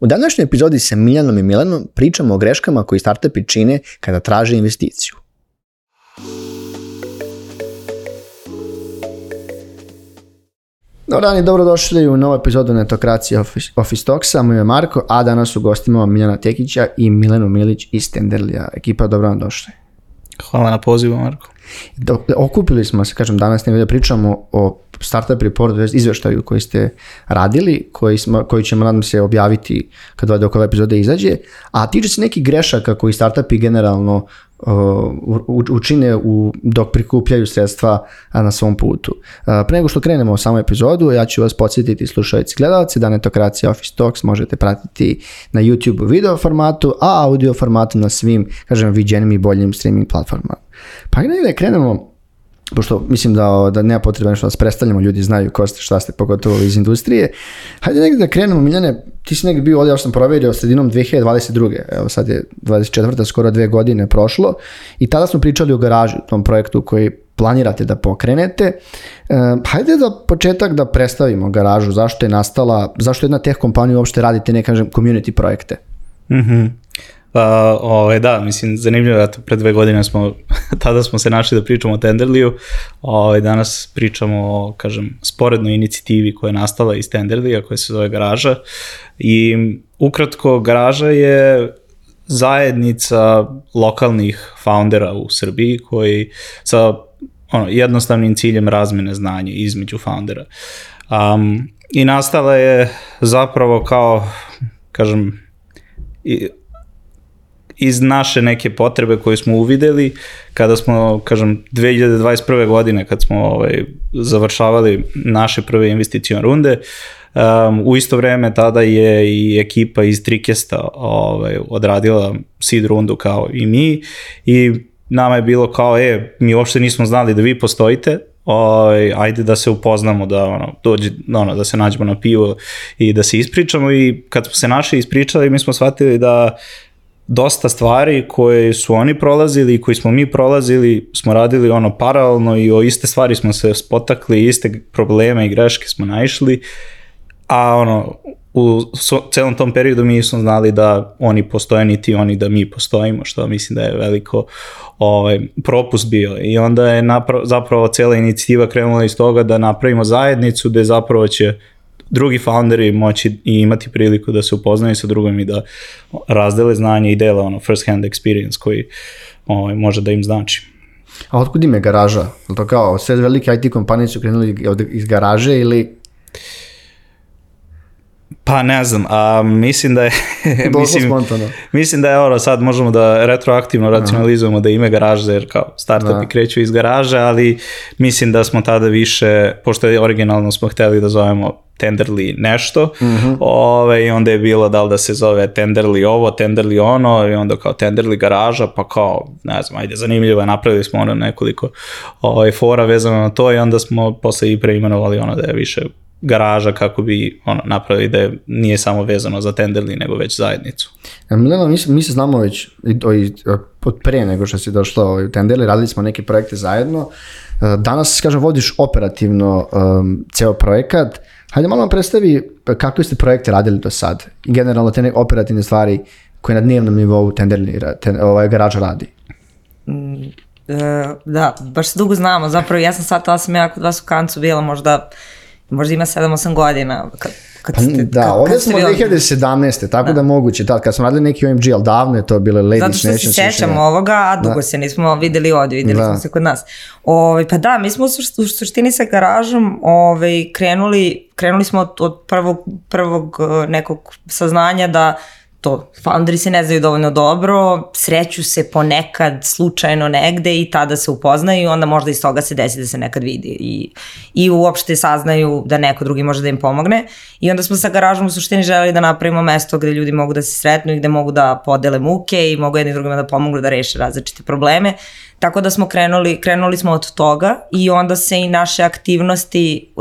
U današnjoj epizodi sa Miljanom i Milanom pričamo o greškama koji startupi čine kada traže investiciju. Dobar dan i dobrodošli u novu epizodu Netokracije Office Talksa. Moj je Marko, a danas u gostima Miljana Tekića i Milenu Milić iz Tenderlija. Ekipa, dobro vam došli. Hvala na pozivu, Marko. Okupili smo se, danas da pričamo o Startup Reportu, izveštaju koji ste radili, koji ćemo, nadam se, objaviti kad dok ova epizoda izađe, a tiče se nekih grešaka koji startupi generalno učine dok prikupljaju sredstva na svom putu. Pre nego što krenemo u samu epizodu, ja ću vas podsjetiti, slušalci i gledalci, da Netokracija Office Talks možete pratiti na YouTube video formatu, a audio formatu na svim, viđenim i boljim streaming platformama. Pa da krenemo, pošto mislim da nema potrebe što vas predstavljamo, ljudi znaju ko ste, šta ste, pogotovo iz industrije. Hajde negdje da krenemo, Miljane, ti si negdje bio ovdje, ja sam proverio sredinom 2022. Evo sad je 24. skoro 2 godine prošlo i tada smo pričali o garaži, u tom projektu koji planirate da pokrenete. Hajde za početak da predstavimo garažu, zašto je nastala, zašto jedna tech kompanija uopšte radite neke community projekte. Da, mislim, zanimljivo je, pre 2 godine tada smo se našli da pričamo o Tenderliju, danas pričamo o, sporednoj inicijativi koja je nastala iz Tenderlija, koja se zove Garaža, i ukratko, Garaža je zajednica lokalnih foundera u Srbiji koji sa jednostavnim ciljem razmene znanja između foundera. I nastala je zapravo kao, iz naše neke potrebe koje smo uvideli kada smo, 2021. godine kad smo završavali naše prve investicione runde, u isto vreme tada je i ekipa iz Trikesta odradila seed rundu kao i mi i nama je bilo kao, mi uopšte nismo znali da vi postojite, ajde da se upoznamo, da se nađemo na pivo i da se ispričamo. I kad smo se našli ispričali, mi smo shvatili da dosta stvari koje su oni prolazili i koji smo mi prolazili smo radili paralelno i o iste stvari smo se spotakli, iste probleme i greške smo naišli, a u celom tom periodu mi nismo znali da oni postoje niti oni da mi postojimo, što mislim da je veliko propust bio. I onda je zapravo cela inicijativa krenula iz toga da napravimo zajednicu gde zapravo će drugi founderi moći i imati priliku da se upoznaju sa drugim i da razdele znanje i dele first hand experience koji može da im znači. A otkud ime Garaža? Je to kao sve velike IT kompanije su krenuli iz garaže ili? Pa ne znam, mislim da je mislim da je sad možemo da retroaktivno racionalizujemo da ime Garaža, jer kao startupi kreću iz garaže, ali mislim da smo tada više, pošto je originalno smo hteli da zovemo Tenderli nešto, i onda je bilo da li da se zove Tenderli ovo, Tenderli ono, i onda kao Tenderli Garaža, pa kao, ne znam, ajde, zanimljivo je, napravili smo nekoliko fora vezano na to i onda smo posle i preimenovali da je više Garaža kako bi napravili da nije samo vezano za Tenderli, nego već zajednicu. Milena, mi se znamo već od pre nego što si došla u Tenderli, radili smo neke projekte zajedno. Danas, vodiš operativno ceo projekat. Hajde malo nam predstavi kakve ste projekte radili do sad i generalno te operativne stvari koje na dnevnom nivou Garaža radi. Da, baš se dugo znamo. Zapravo ja sam shvatila sam ja kod vas u Kancu bila možda ima 7-8 godina. Ovdje smo 2017. Tako da moguće, kad smo radili neki OMG, ali davno je to bilo Ladies Nation. Zato što se sećamo ovoga, a dugo se nismo videli ovdje, videli smo se kod nas. Pa da, mi smo u suštini sa Garažom krenuli smo od prvog nekog saznanja da to, founderi se ne znaju dovoljno dobro, sreću se ponekad slučajno negde i tada se upoznaju i onda možda iz toga se desi da se nekad vidi i uopšte saznaju da neko drugi može da im pomogne. I onda smo sa Garažom u suštini želeli da napravimo mesto gde ljudi mogu da se sretnu i gde mogu da podele muke i mogu jedni drugima da pomognu da reše različite probleme. Tako da smo krenuli smo od toga i onda se i naše aktivnosti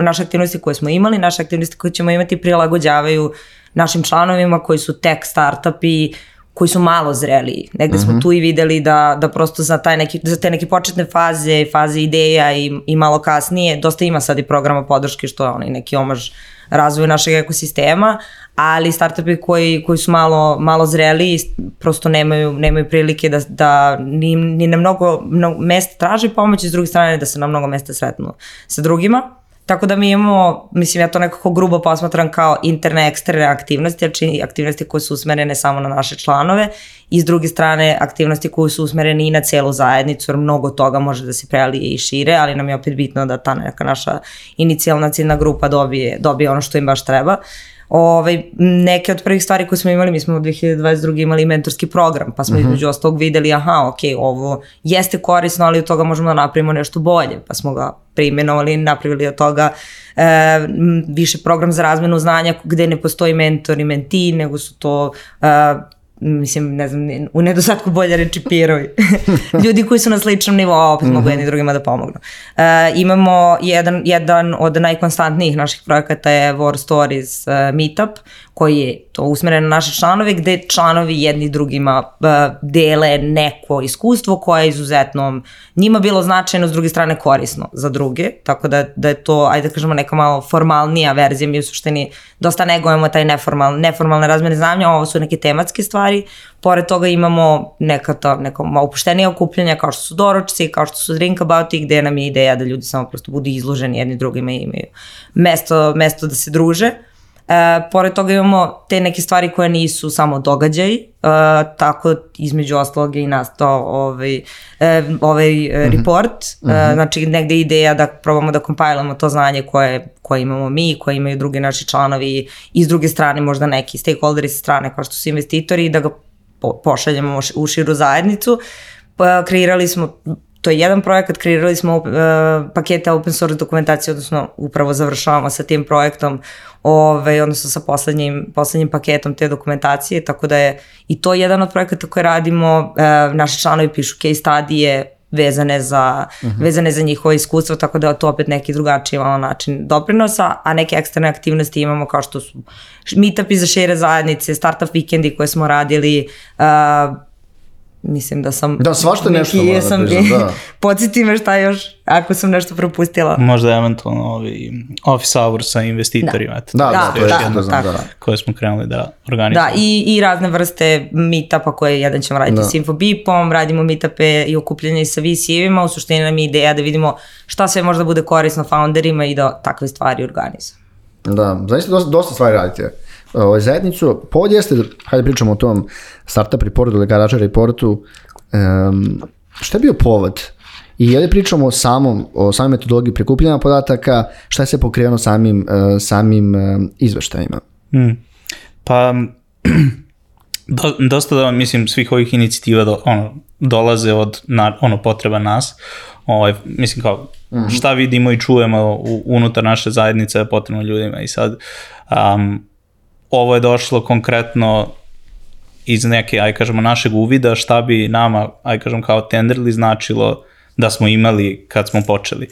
koje smo imali, naše aktivnosti koje ćemo imati prilagođavaju našim članovima koji su tech startupi, koji su malo zreliji. Negde smo tu i videli da prosto za te neke početne faze ideja i malo kasnije, dosta ima sad i programa podrške što je neki omaž razvoju našeg ekosistema, ali startupi koji su malo zreli prosto nemaju prilike da ni na mnogo mesta traži pomoć i s druge strane da se na mnogo mesta sretnu sa drugima. Tako da mi imamo, mislim ja to nekako grubo posmatram kao interne, eksterne aktivnosti, znači aktivnosti koje su usmerene samo na naše članove i s druge strane aktivnosti koje su usmerene i na celu zajednicu, jer mnogo toga može da se prelije i šire, ali nam je opet bitno da ta neka naša inicijalna ciljna grupa dobije ono što im baš treba. Neke od prvih stvari koje smo imali, mi smo u 2022. imali mentorski program, pa smo između ostalog videli, ovo jeste korisno, ali od toga možemo da napravimo nešto bolje, pa smo ga preimenovali i napravili od toga više program za razmenu znanja gde ne postoji mentor i mentee, nego su to mislim, ne znam, u nedostatku bolje reči peerovi. Ljudi koji su na sličnom nivou, opet mogu jedni drugima da pomognu. Imamo jedan od najkonstantnijih naših projekata je War Stories Meetup, koji je to usmeren na naše članove, gde članovi jedni drugima dele neko iskustvo koje je izuzetno njima bilo značajno, s druge strane korisno za druge, tako da je to, ajde da kažemo, neka malo formalnija verzija. Mi u suštini dosta negujemo taj neformalne razmene znanja, ovo su neke tematske stvari. Pored toga imamo neka opuštenija okupljanja kao što su doručci, kao što su drinkabouti, gde nam je ideja da ljudi samo prosto budu izloženi jedni drugima i imaju mesto da se druže. Pored toga imamo te neke stvari koje nisu samo događaji, tako između ostalog je i nastao ovaj report, znači negde je ideja da probamo da kompilujemo to znanje koje imamo mi, koje imaju drugi naši članovi i s druge strane možda neki stakeholderi sa strane kao što su investitori i da ga pošaljemo u širu zajednicu. Kreirali smo, to je jedan projekat, kreirali smo pakete open source dokumentacije, odnosno upravo završavamo sa tim projektom, odnosno sa poslednjim paketom te dokumentacije, tako da je i to jedan od projekata koje radimo. Naši članovi pišu case studije vezane za njihove iskustva, tako da je to opet neki drugačiji način doprinosa, a neke eksterne aktivnosti imamo kao što su meetupi za šire zajednice, startup vikendi koje smo radili, mislim da sam... Da, svašta nešto moram da priznam, da. Podsjeti me šta još, ako sam nešto propustila. Možda eventualno office hours sa investitorima. Da, koje smo krenuli da organizujemo. Da, i razne vrste meetupa koje jedan ćemo raditi s Infobipom, radimo meetupe i okupljanje sa VC-evima, u suštini nam je ideja da vidimo šta sve možda bude korisno founderima i da takve stvari organizujemo. Da, zaista dosta stvari radite. Zajednicu, povod jeste, hajde pričamo o tom startup reportu ili garaža reportu, šta je bio povod? I ovdje pričamo o samoj metodologiji prikupljanja podataka, šta je se pokrenuo samim izveštajima? Pa, dosta da, mislim, svih ovih inicijativa dolaze od potreba nas. Mislim kao, šta vidimo i čujemo unutar naše zajednice je potrebno ljudima i sad ovo je došlo konkretno iz neke, aj kažemo, našeg uvida šta bi nama, aj kažem, kao Tenderly značilo da smo imali kad smo počeli.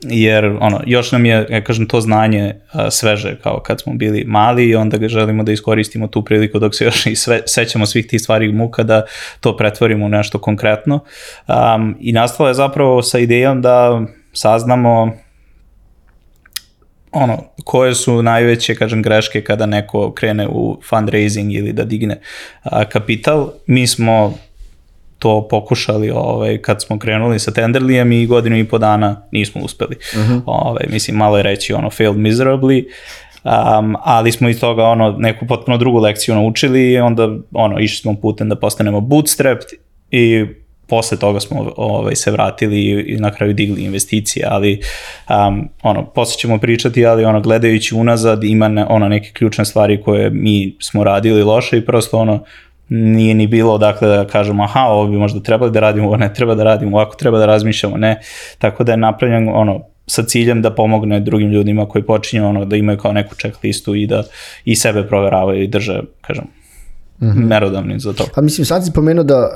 Jer još nam je, ja kažem, to znanje sveže kao kad smo bili mali i onda ga želimo da iskoristimo tu priliku dok se još i sećamo svih tih stvari muka da to pretvorimo u nešto konkretno. I nastalo je zapravo sa idejom da saznamo koje su najveće, kažem, greške kada neko krene u fundraising ili da digne kapital. Mi smo to pokušali kad smo krenuli sa Tenderlyjem i 1.5 dana nismo uspeli. Mislim, malo je reći failed miserably, ali smo iz toga neku potpuno drugu lekciju naučili i onda išli smo putem da postanemo bootstrapped i posle toga smo se vratili i na kraju digli investicije, ali posle ćemo pričati, ali gledajući unazad ima neke ključne stvari koje mi smo radili loše i prosto nije ni bilo dakle da kažemo ovo bi možda trebali da radimo, ovo ne treba da radimo, ovako treba da razmišljamo, ne, tako da je napravljen sa ciljem da pomogne drugim ljudima koji počinju da imaju kao neku checklistu i da i sebe proveravaju i drže, kažem, merodavni za to. Pa mislim, sad si pomenuo da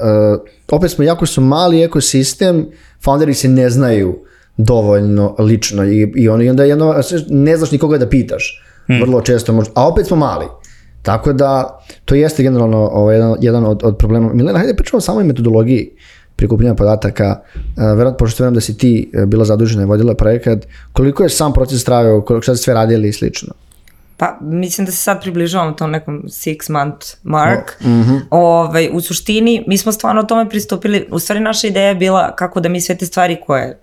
opet smo jako su mali ekosistem, founderi se ne znaju dovoljno lično i onda ne znaš nikoga da pitaš, vrlo često možda, a opet smo mali. Tako da, to jeste generalno jedan od problema. Milena, hajde pričamo o samoj metodologiji prikupljanja podataka, verovatno pošto verujem da si ti bila zadužena i vodila projekat, koliko je sam proces trajao, šta ste sve radili i slično? Pa mislim da se sad približavamo tom nekom 6-month mark. U suštini mi smo stvarno o tome pristupili, u stvari naša ideja je bila kako da mi sve te stvari koje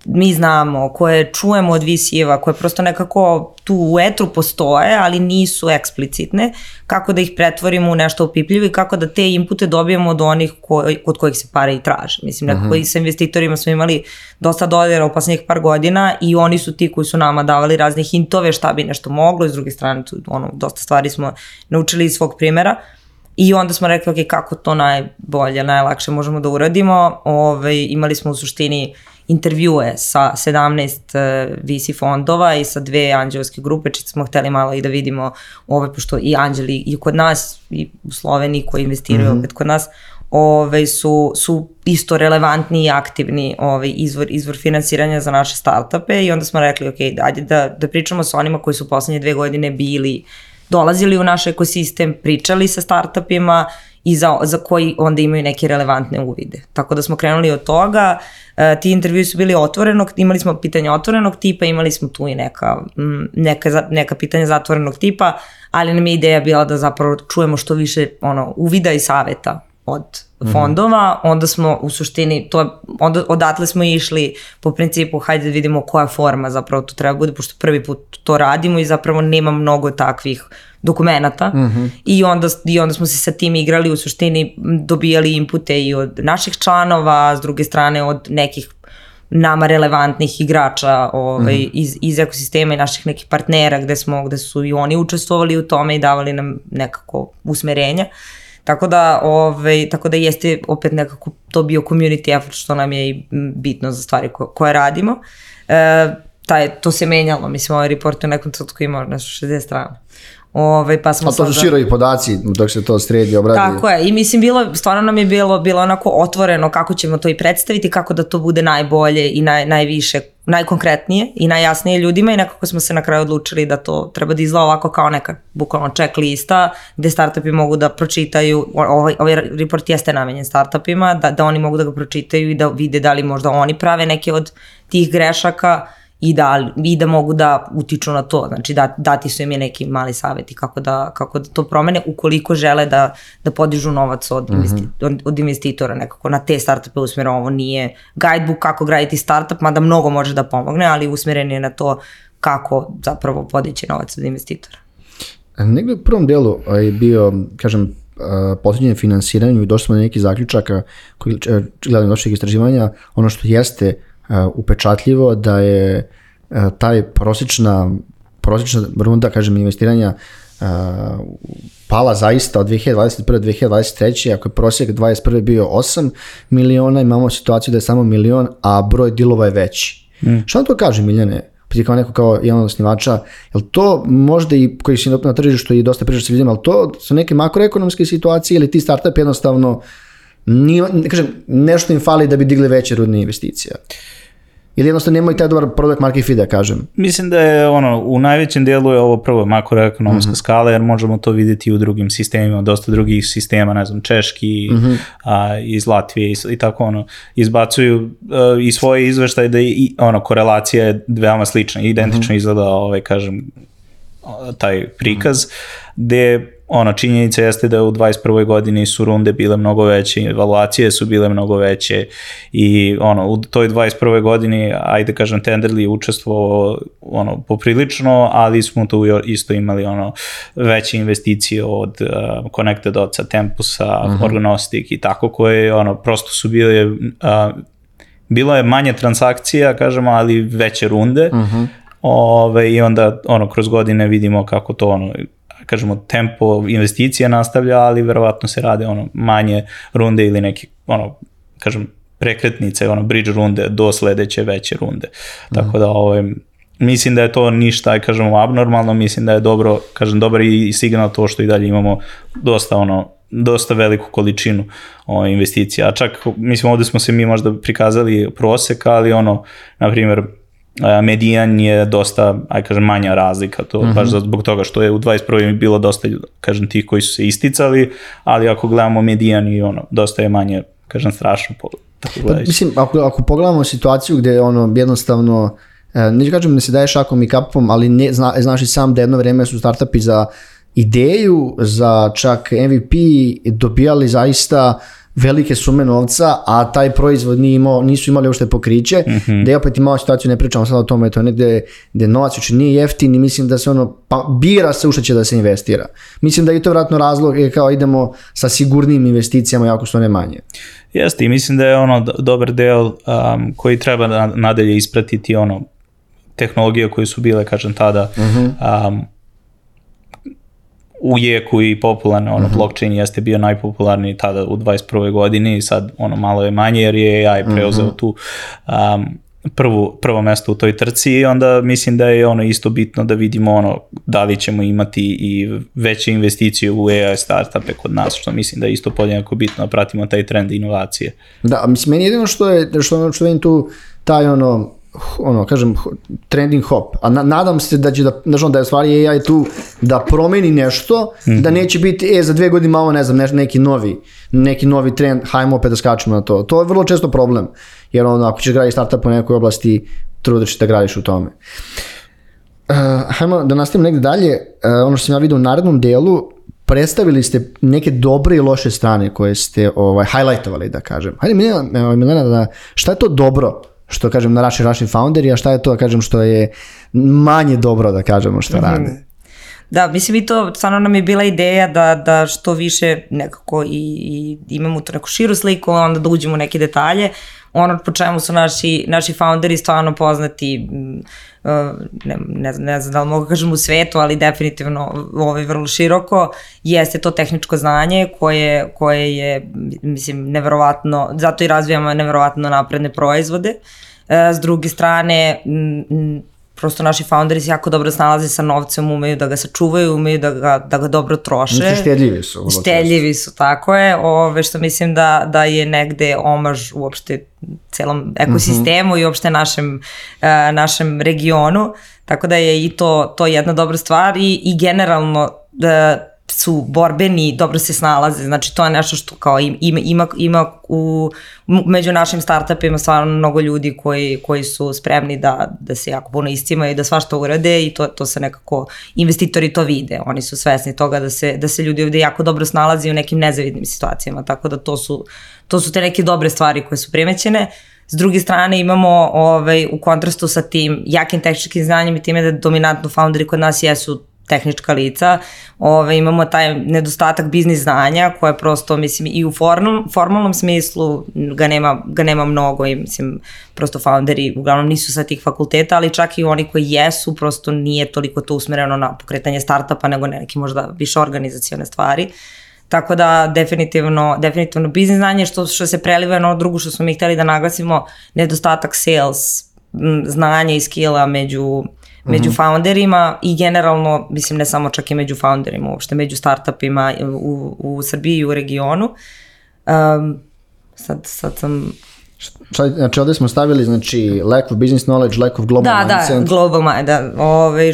mi znamo, koje čujemo od VC-eva, koje prosto nekako tu u etru postoje, ali nisu eksplicitne, kako da ih pretvorimo u nešto opipljivo i kako da te inpute dobijemo od onih od kojih se pare i traže. Mislim, nekako i sa investitorima smo imali dosta dodira u poslednjih par godina i oni su ti koji su nama davali razne hintove šta bi nešto moglo, i s druge strane dosta stvari smo naučili iz svog primjera. I onda smo rekli, ok, kako to najbolje, najlakše možemo da uradimo. Imali smo u suštini intervjue sa 17 VC fondova i sa 2 anđelske grupe, čisto smo hteli malo i da vidimo, pošto i anđeli i kod nas i u Sloveniji koji investiraju opet kod nas, su isto relevantni i aktivni izvor finansiranja za naše startupe, i onda smo rekli, ok, ajde da pričamo sa onima koji su poslednje 2 godine dolazili u naš ekosistem, pričali sa startupima i za koji onda imaju neke relevantne uvide. Tako da smo krenuli od toga, ti intervjui su bili otvorenog, imali smo pitanja otvorenog tipa, imali smo tu i neka pitanja zatvorenog tipa, ali nam je ideja bila da zapravo čujemo što više uvida i saveta od fondova. Onda smo u suštini, odatle smo išli po principu hajde da vidimo koja forma zapravo to treba bude, pošto prvi put to radimo i zapravo nema mnogo takvih dokumenata. I onda smo se sa tim igrali, u suštini dobijali inpute i od naših članova, s druge strane od nekih nama relevantnih igrača iz ekosistema i naših nekih partnera gde su i oni učestvovali u tome i davali nam nekako usmerenja. Tako da jeste opet nekako to bio community effort, što nam je i bitno za stvari koje radimo. To se menjalo, mislim, ovaj report u nekom trenutku imao nešto 60 strana. Pa smo to su široki podaci dok se to sredi, obradi. Tako je, i mislim, stvarno nam je bilo onako otvoreno kako ćemo to i predstaviti, kako da to bude najbolje i najviše, najkonkretnije i najjasnije ljudima, i nekako smo se na kraju odlučili da to treba da izgleda ovako kao neka bukvalno check lista gde startupi mogu da pročitaju, ovaj report jeste namenjen startupima, da oni mogu da ga pročitaju i da vide da li možda oni prave neke od tih grešaka i da mogu da utiču na to, znači dati su im je neki mali savjeti kako da to promene ukoliko žele da podižu novac od investitora, nekako na te startupe usmjereno. Ovo nije guidebook kako graditi startup, mada mnogo može da pomogne, ali usmjeren je na to kako zapravo podići novac od investitora. Negde u prvom delu je bio, kažem, posljednje finansiranju i došli smo na neki zaključaka koji gledam našeg istraživanja, ono što jeste upečatljivo da je taj prosječna runda, kažem, investiranja pala zaista od 2021. do 2023. Ako je prosjek 2021. bio 8 miliona, imamo situaciju da je samo 1 milion, a broj dilova je veći. Šta to kaže, Miljane? Kao neko kao jedan od osnivača, je li to možda i koji si na tržištu i dosta priča se vidimo, ali to su neke makroekonomske situacije ili ti startup jednostavno nešto im fali da bi digli veće rudne investicije? Ili jednostavno nemaju taj dobar product market fit, da kažem? Mislim da je u najvećem dijelu je ovo prvo makroekonomska skala, jer možemo to vidjeti i u drugim sistemima, dosta drugih sistema, ne znam, češki, iz Latvije i tako izbacuju i svoje izveštaje da korelacija je veoma slična, identično izgleda kažem taj prikaz, gde činjenica jeste da u 21. godini su runde bile mnogo veće, evaluacije su bile mnogo veće i u toj 21. godini, ajde kažem, Tenderly je učestvovao poprilično, ali smo tu isto imali veće investicije od Connected Dotsa, Tempusa, Organostic i tako, koje prosto su bile, bilo je manje transakcija, kažemo, ali veće runde, i onda kroz godine vidimo kako to kažemo, tempo investicija nastavlja, ali verovatno se rade manje runde ili neke, kažem, prekretnice, bridge runde do sledeće veće runde. Tako da, mislim da je to ništa, kažemo, abnormalno, mislim da je dobro, kažem, dobar i signal to što i dalje imamo dosta veliku količinu investicija. A čak, mislim, ovde smo se mi možda prikazali prosek, ali na primjer, medijan je dosta, kažem, manja razlika, to baš zbog toga što je u 21. bilo dosta, kažem, tih koji su se isticali, ali ako gledamo medijan i dosta je manje, kažem, strašno tako gledajući. Mislim, ako pogledamo situaciju gde jednostavno, neću kažem da se daje šakom i kapom, ali znaš i sam da jedno vreme su startupi za ideju, za čak MVP dobijali zaista velike sume novca, a taj proizvod nisu imali uopšte pokriće, da je opet imao situaciju, ne pričamo sad o tome, to je negde gde novac uče nije jeftin i mislim da se bira se u što će da se investira. Mislim da je to vratno razlog kao idemo sa sigurnim investicijama, jako su one manje. Jeste, i mislim da je dobar deo koji treba nadalje ispratiti tehnologije koje su bile, kažem tada, u jeku i popularno, blockchain jeste bio najpopularniji tada u 21. godini i sad malo je manje jer je AI preuzeo tu prvo mesto u toj trci i onda mislim da je isto bitno da vidimo da li ćemo imati i veće investicije u AI startupe kod nas, što mislim da je isto podjednako bitno da pratimo taj trend inovacije. Da, mislim, meni jedino što je tu taj kažem, trending hop, a nadam se da će da je stvari AI tu da promeni nešto, da neće biti, za 2 godine malo, ne znam, neki novi trend, hajmo opet da skačemo na to. To je vrlo često problem, jer ako ćeš graditi startup u nekoj oblasti, trudiš da gradiš u tome. Hajmo da nastavimo negde dalje, ono što sam ja vidio u narednom delu, predstavili ste neke dobre i loše strane koje ste highlightovali, da kažem. Hajde Milena, šta je to dobro što kažem na Russian Founderi, a šta je to da kažem što je manje dobro da kažemo što rade? Da, mislim i to stvarno nam je bila ideja da što više nekako i imamo tu neku širu sliku, onda da uđemo u neke detalje. Ono po čemu su naši founderi stvarno poznati, ne znam da li mogu kažem u svetu, ali definitivno vrlo široko, jeste to tehničko znanje koje je, mislim, neverovatno, zato i razvijamo neverovatno napredne proizvode. S druge strane, prosto naši founderi se jako dobro snalaze sa novcem, umeju da ga sačuvaju, umeju da ga dobro troše. Štedljivi su, tako je, što mislim da je negde omaž uopšte celom ekosistemu i uopšte našem regionu, tako da je i to jedna dobra stvar i generalno su borbeni, dobro se snalaze, znači to je nešto što kao ima među našim startupima stvarno mnogo ljudi koji su spremni da se jako puno iscimaju i da svašta urade i to se nekako, investitori to vide, oni su svesni toga da se ljudi ovde jako dobro snalazi u nekim nezavidnim situacijama, tako da to su te neke dobre stvari koje su primećene. S druge strane imamo u kontrastu sa tim jakim tehničkim znanjem i time da dominantno founderi kod nas jesu tehnička lica, imamo taj nedostatak biznis znanja koje prosto, mislim, i u formalnom smislu ga nema mnogo i, mislim, prosto founderi uglavnom nisu sa tih fakulteta, ali čak i oni koji jesu, prosto nije toliko to usmereno na pokretanje startupa nego neke možda više organizacione stvari. Tako da definitivno biznis znanje što se preliva na ono drugo što smo mi hteli da naglasimo, nedostatak sales znanja i skilla među founderima i generalno, mislim, ne samo čak i među founderima, uopšte među startupima u Srbiji i u regionu. Sad sam... Znači, ovdje smo stavili, znači, lack of business knowledge, lack of global mindset. Da, global mindset, da.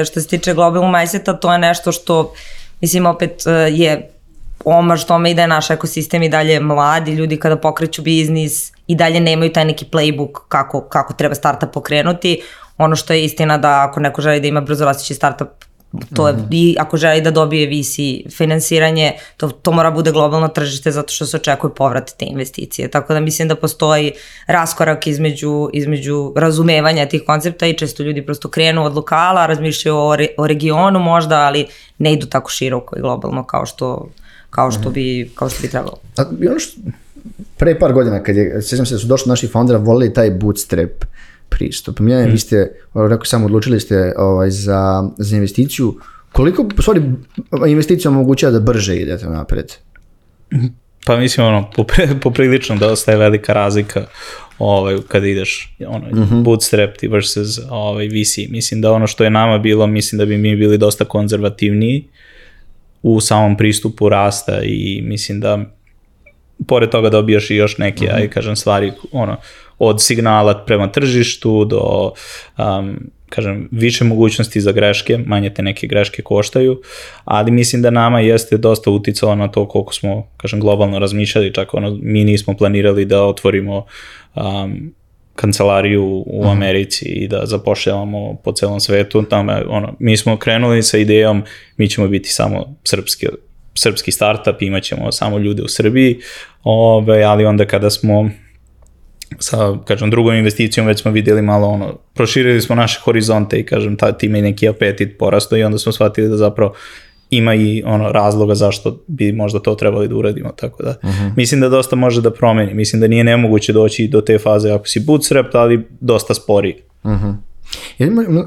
Što se tiče global mindseta, to je nešto što, mislim, opet je omaž tome i da je naš ekosistem i dalje mladi ljudi kada pokreću biznis i dalje nemaju taj neki playbook kako treba startup pokrenuti. Ono što je istina da ako neko želi da ima brzo rastući startup, to je, i ako želi da dobije VC finansiranje, to mora bude globalno tržište zato što se očekuje povrat te investicije. Tako da mislim da postoji raskorak između razumevanja tih koncepta i često ljudi prosto krenu od lokala, razmišljaju o regionu možda, ali ne idu tako široko i globalno kao što bi trebalo. I ono što pre par godina, sjećam se da su došli naši foundera, volili taj bootstrap pristup. Vi ste, rekao sam, odlučili ste za investiciju. Koliko, u stvari, investicija omogućava da brže idete napred? Pa mislim, poprilično dosta je velika razlika kada ideš bootstrap versus VC. Mislim da ono što je nama bilo, mislim da bi mi bili dosta konzervativniji u samom pristupu rasta i mislim da pored toga dobijaš i još neke, kažem, stvari, od signala prema tržištu do kažem, više mogućnosti za greške, manje te neke greške koštaju, ali mislim da nama jeste dosta uticalo na to koliko smo, kažem, globalno razmišljali, čak mi nismo planirali da otvorimo kancelariju u Americi i da zapošljavamo po celom svetu. Mi smo krenuli sa idejom, mi ćemo biti samo srpski startup, imat ćemo samo ljude u Srbiji, ali onda kada smo sa, kažem, drugom investicijom već smo vidjeli malo proširili smo naše horizonte i, kažem, time i neki apetit porastao i onda smo shvatili da zapravo ima i razloga zašto bi možda to trebali da uradimo, tako da mislim da dosta može da promeni, mislim da nije nemoguće doći do te faze ako si bootstrap, ali dosta sporiji.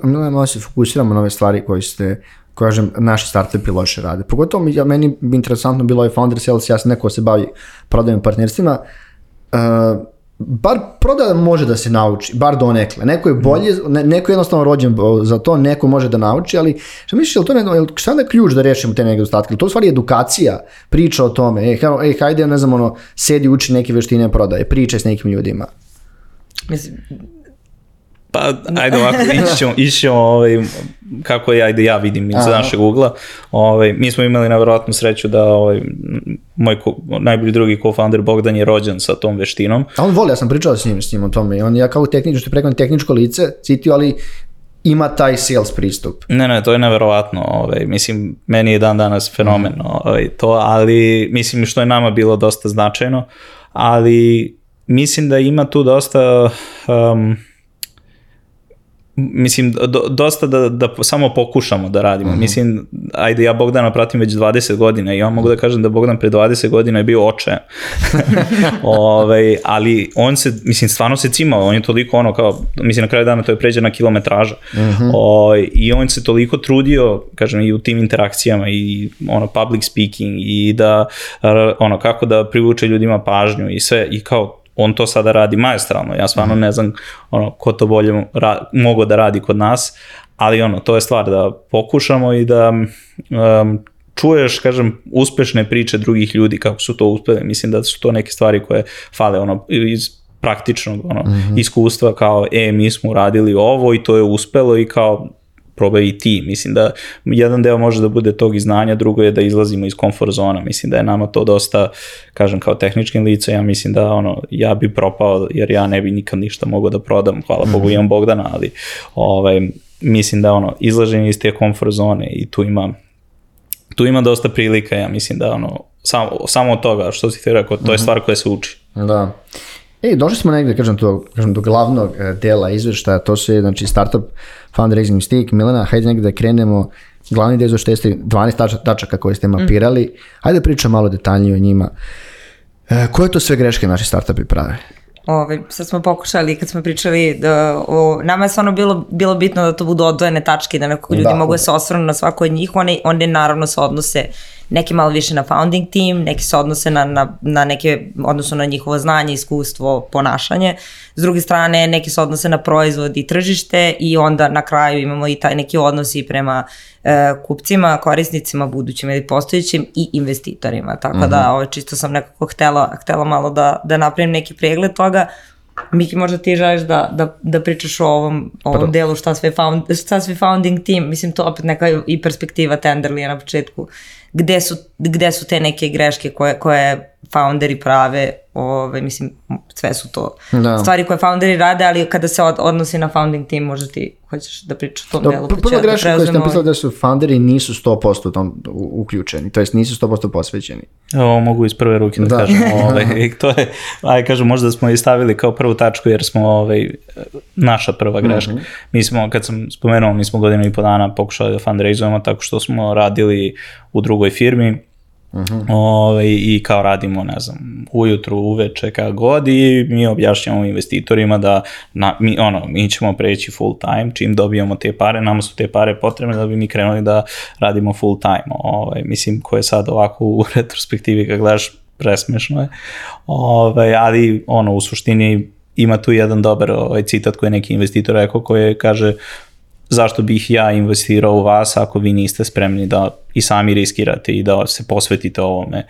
Malo se fokusiramo na ove stvari koje ste, kažem, naši startupi loše rade. Pogotovo meni bi interesantno bilo Founder Sales, ja sam neko se bavi prodajom partnerstvima, bar prodaja može da se nauči, bar donekle. Neko je bolje, neko je jednostavno rođen za to, neko može da nauči, ali šta misliš, šta je ključ da rešimo te nedostatke? To u stvari edukacija, priča o tome, hajde, ne znam, sedi, uči neke veštine prodaje, pričaj s nekim ljudima. Mislim, pa, ajde ovako, ići ćemo kako ja vidim iz našeg ugla. Mi smo imali nevjerojatnu sreću da moj najbolji drugi co-founder Bogdan je rođen sa tom veštinom. A on voli, ja sam pričao s njim o tome. On je kao tehničko lice, citio, ali ima taj sales pristup. Ne, to je nevjerovatno. Mislim, meni je dan danas fenomen to, ali mislim što je nama bilo dosta značajno, ali mislim da ima tu dosta... mislim, dosta da samo pokušamo da radimo. Mislim, ajde, ja Bogdana pratim već 20 godina i ja mogu da kažem da Bogdan pre 20 godina je bio očajan. Ali on se, mislim, stvarno se cimao, on je toliko kao, mislim, na kraju dana to je pređena kilometraža. I on se toliko trudio, kažem, i u tim interakcijama i public speaking i da, kako da privuče ljudima pažnju i sve, i kao, on to sada radi maestralno, ja stvarno ne znam ko to bolje mogo da radi kod nas, ali to je stvar da pokušamo i da čuješ, kažem, uspešne priče drugih ljudi kako su to uspeli. Mislim da su to neke stvari koje fale iz praktičnog iskustva, kao mi smo uradili ovo i to je uspelo i kao probaj i ti. Mislim da jedan deo može da bude tog i znanja, drugo je da izlazimo iz komfort zona. Mislim da je nama to dosta, kažem, kao tehničkim lica, ja mislim da ja bi propao jer ja ne bi nikad ništa mogao da prodam, hvala Bogu imam Bogdana, ali mislim da izlaženje iz te komfort zone i tu ima dosta prilika, ja mislim da samo od toga što si ti rekao, to je stvar koja se uči. Da. Došli smo negdje, kažem, do glavnog dela izveštaja, to su znači startup fundraising mistake. Milena, hajde negdje da krenemo, glavni deo što jeste 12 tačaka koje ste mapirali, hajde pričam malo detaljnije o njima. Koje to sve greške naši startupi prave? Sad smo pokušali, kad smo pričali, nama je stvarno bilo bitno da to budu odvojene tačke, da nekako ljudi mogu da se osvrnu na svako od njih, one naravno se odnose neki malo više na founding team, neki se odnose na neke, odnosno na njihovo znanje, iskustvo, ponašanje. S druge strane, neki se odnose na proizvod i tržište i onda na kraju imamo i taj neki odnos i prema kupcima, korisnicima, budućim ili postojećim i investitorima. Tako da čisto sam nekako htela malo da napravim neki pregled toga. Miki, možda ti želiš da pričaš o ovom delu šta sve founding team, mislim to opet neka i perspektiva Tenderlija na početku, gde su te neke greške koje founderi prave, mislim sve su to stvari koje founderi rade, ali kada se odnosi na founding team, možda ti hoćeš da pričaš o tom delu. Prva greška koja ste napisali da su founderi nisu 100% tom uključeni, to jest nisu 100% posvećeni. Ovo mogu iz prve ruke da kažem. To je, kažem, možda smo i stavili kao prvu tačku jer smo naša prva greška. Mi smo, kad sam spomenuo, mi smo godinu i po dana pokušali da fundraizujemo tako što smo radili u drugoj firmi. I kao radimo, ne znam, ujutru, uveče, kako god, i mi objašnjamo investitorima da mi ćemo preći full time, čim dobijemo te pare, nama su te pare potrebne da bi mi krenuli da radimo full time. Mislim, ko je sad ovako u retrospektivi kad gledaš, presmešno je, ali u suštini ima tu jedan dobar citat koji je neki investitor rekao, koji kaže: zašto bih ja investirao u vas ako vi niste spremni da i sami riskirate i da se posvetite ovome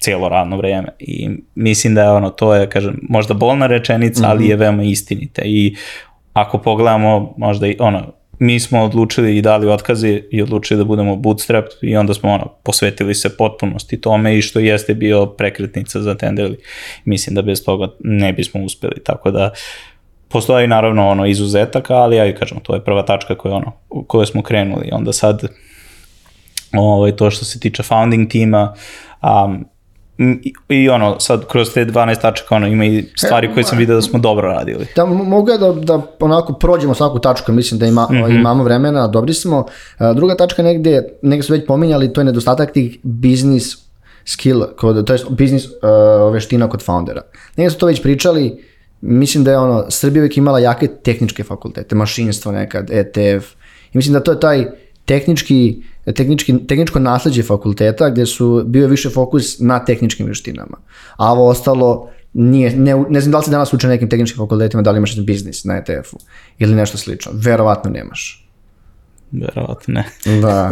cijelo radno vreme. I mislim da je to je, kažem, možda bolna rečenica, ali je veoma istinita. I ako pogledamo možda i mi smo odlučili i dali otkaze i odlučili da budemo bootstrap i onda smo posvetili se potpunosti tome i što jeste bio prekretnica za Tenderly. Mislim da bez toga ne bismo uspeli, tako da postoji naravno izuzetaka, ali ja kažem, to je prva tačka koje smo krenuli. Onda sad to što se tiče founding tima, i sad kroz te 12 tačaka ima i stvari koje sam vidio da smo dobro radili. Da, mogu ja da onako prođemo svaku tačku, mislim da imamo vremena, dobri smo. Druga tačka negde su već pominjali, to je nedostatak tih business skill, to je business veština kod foundera. Negde su to već pričali, mislim da je Srbija uvijek imala jake tehničke fakultete, mašinstvo nekad, ETF, i mislim da to je taj tehničko nasleđe fakulteta gdje su bio više fokus na tehničkim veštinama. A ovo ostalo nije, ne znam da li si danas uče nekim tehničkim fakultetima, da li imaš biznis na ETF-u ili nešto slično. Verovatno nemaš. Verovatno ne. Da.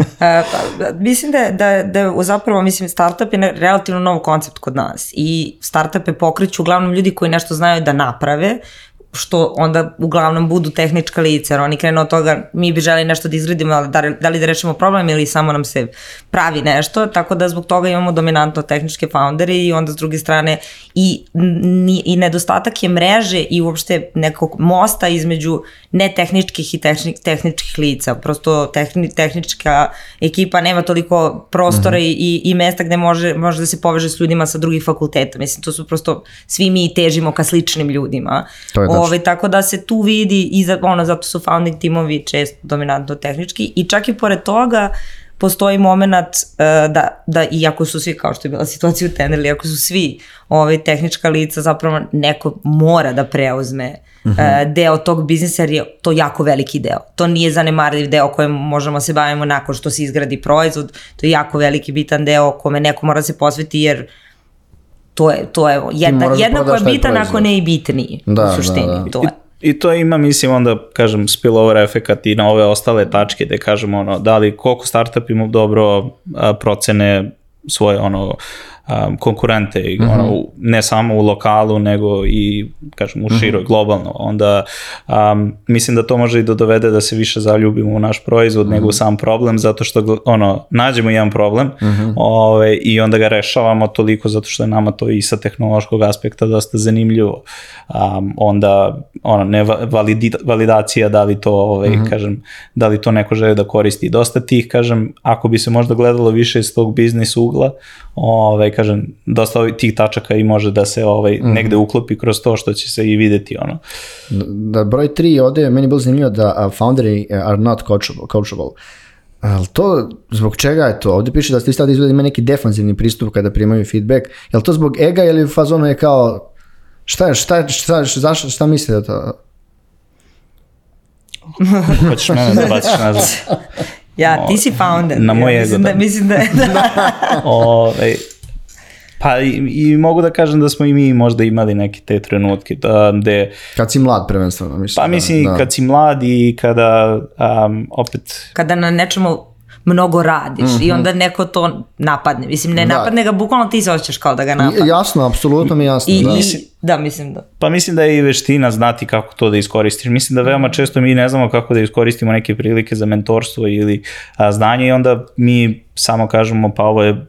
Mislim da zapravo, startup je relativno nov koncept kod nas i startupe pokreću uglavnom ljudi koji nešto znaju da naprave, što onda uglavnom budu tehnička lica, jer oni krenu od toga, mi bi želi nešto da izgradimo, ali da li da rešimo problem ili samo nam se pravi nešto, tako da zbog toga imamo dominantno tehničke foundere i onda s druge strane i nedostatak je mreže i uopšte nekog mosta između netehničkih i tehničkih lica. Prosto tehnička ekipa nema toliko prostora i mesta gde može da se poveže s ljudima sa drugih fakulteta. Mislim, to su prosto, svi mi težimo ka sličnim ljudima. Tako da se tu vidi i zato su founding timovi često dominantno tehnički i čak i pored toga postoji moment da iako su svi, kao što je bila situacija u Tenderly, ako su svi tehnička lica, zapravo neko mora da preuzme deo tog biznisa jer je to jako veliki deo. To nije zanemarljiv deo kojem možemo se bavimo nakon što se izgradi proizvod, to je jako veliki bitan deo kome neko mora se posveti jer to je jednako je bitan ako ne i bitniji u suštini. I to ima, mislim, onda, kažem, spillover efekat i na ove ostale tačke gde kažemo, da li koliko startup ima dobro procene svoje, konkurente, ne samo u lokalu, nego i, kažem, u široj, globalno. Onda mislim da to može i da dovede da se više zaljubimo u naš proizvod nego u sam problem, zato što nađemo jedan problem i onda ga rešavamo toliko zato što je nama to i sa tehnološkog aspekta dosta zanimljivo. Onda validacija, da li to, kažem, da li to neko želi da koristi. Dosta tih, kažem, ako bi se možda gledalo više iz tog biznis ugla, kažem, dosta tih tačaka i može da se negde uklopi kroz to što će se i videti. Da, broj 3 ovde je meni bilo zanimljivo da founderi are not coachable. Ali to, zbog čega je to? Ovde piše da ste stavili izgleda ima neki defanzivni pristup kada primaju feedback. Je li to zbog ega ili u fazonu je kao šta mislite da to? Hoćeš mene da baciš nazad? Ja, ti si founder. Na moj ego. Mislim da je. Pa i mogu da kažem da smo i mi možda imali neke te trenutke gde... Kad si mlad prvenstveno, mislim. Pa mislim, kad si mlad i kada opet... Kada na nečemu mnogo radiš i onda neko to napadne. Mislim, ne napadne ga, bukvalno ti se osjećaš kao da ga napadne. Jasno, apsolutno mi jasno. Mislim da. Pa mislim da je i veština znati kako to da iskoristiš. Mislim da veoma često mi ne znamo kako da iskoristimo neke prilike za mentorstvo ili znanje i onda mi samo kažemo pa ovo je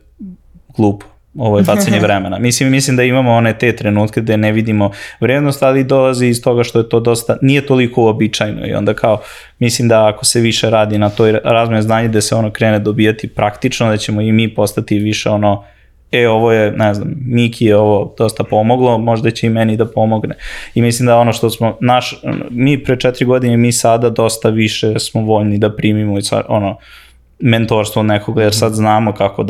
glupo. Ovo je bacanje vremena. Mislim da imamo one te trenutke gde ne vidimo vrednost, ali dolazi iz toga što je to dosta, nije toliko uobičajno i onda kao, mislim da ako se više radi na toj razmeni znanja gde se krene dobijati praktično, da ćemo i mi postati više ovo je, ne znam, Miki je ovo dosta pomoglo, možda će i meni da pomogne. I mislim da što smo, mi pre 4 godine, mi sada dosta više smo voljni da primimo mentorstvo od nekoga, jer sad znamo kako